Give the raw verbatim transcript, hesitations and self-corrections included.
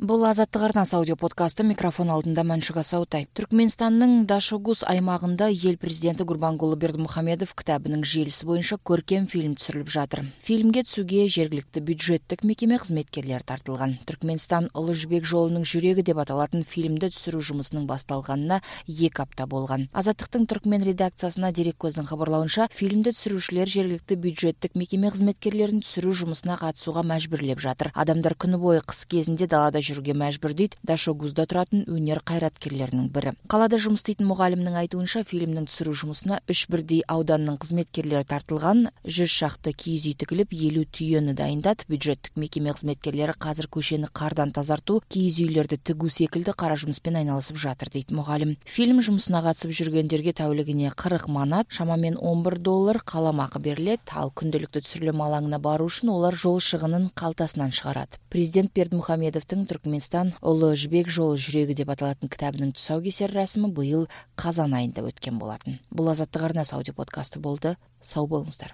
Бул Азаттык арнасы аудио подкасты. Микрофон алдында Маншуга Саутай. Түркмөнстандын Дашогуз аймагында эл президенти Гурбангулы Бердимухамедов китабынын желиси боюнча көркем фильм түсүрүлүп жатыр. Фильмге түсүүгө жергиликтүү бюджеттик мекеме кызметкерлери тартылган. Түркмөнстан Улуу Жибек жолунун жүрөгү деп аталатын фильмди түсүрүү жумусунун башталганына эки апта болгон. Азаттыктын түркмөн редакциясына дерек көздүн кабарлауынча, фильмди түсүрүүчүлөр жергиликтүү бюджеттик мекеме кызметкерлерин түсүрүү жумусуна катышууга мажбүрлөп жатыр. Адамдар күнү бою кыш кезинде далада жүрүүгө мажбур дейт Дашогузда туратын өнөр кайраткерлеринин бири. Калада жумуш иштейтин мугалимдин айтуунча, фильмдин түсүрүү жумусуна үч бирдей ауданынын кызметкерлери тартылган. жүз шакты кийиз үй тигилип, элүү түйөнү дайындат. Бюджеттик мекеме кызметкерлери казыр көчөнү кардан тазартуу, кийиз үйлөрдү тигүү секилди кара жумуш менен айналышып жатыр дейт мугалим. Фильм жумусуна катышып жүргөндөргө тәулүгүнө кырк манат, шамамен он бир доллар каламакы берилет. Ал күндөлүктүү түсүрүлмө алаңына баруу үчүн олар жол шыгынын калтасынан чыгарат. Президент Бердимухамедовдун Түркмөнстан Улуу Жибек жолу жүрөгү деп аталатын китабынын тусоо кесер расмы быйыл казан айында өткөн болотун. Бул Азаттык арнасы аудио подкасты болду. Сау болуңуздар.